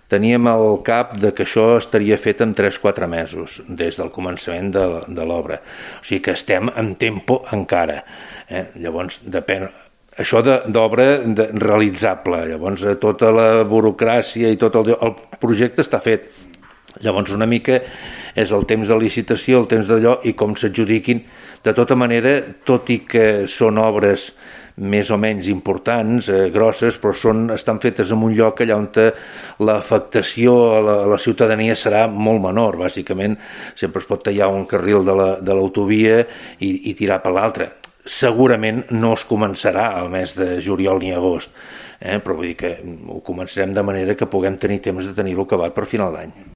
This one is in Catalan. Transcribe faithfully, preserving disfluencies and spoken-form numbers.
teníem al cap de que això estaria fet en tres o quatre mesos des del començament de, de l'obra. O sigui que estem en tempo encara. Eh? Llavors, depèn... Això d'obra realitzable, llavors tota la burocràcia i tot el, el projecte està fet. Llavors una mica és el temps de licitació, el temps d'allò i com s'adjudiquin. De tota manera, tot i que són obres més o menys importants, eh, grosses, però són, estan fetes en un lloc allà on l'afectació a la, a la ciutadania serà molt menor. Bàsicament, sempre es pot tallar un carril de l'autovia i, i tirar per l'altre. Segurament no es començarà al mes de juliol ni agost, eh? Però vull dir que ho començarem de manera que puguem tenir temps de tenir-ho acabat per final d'any.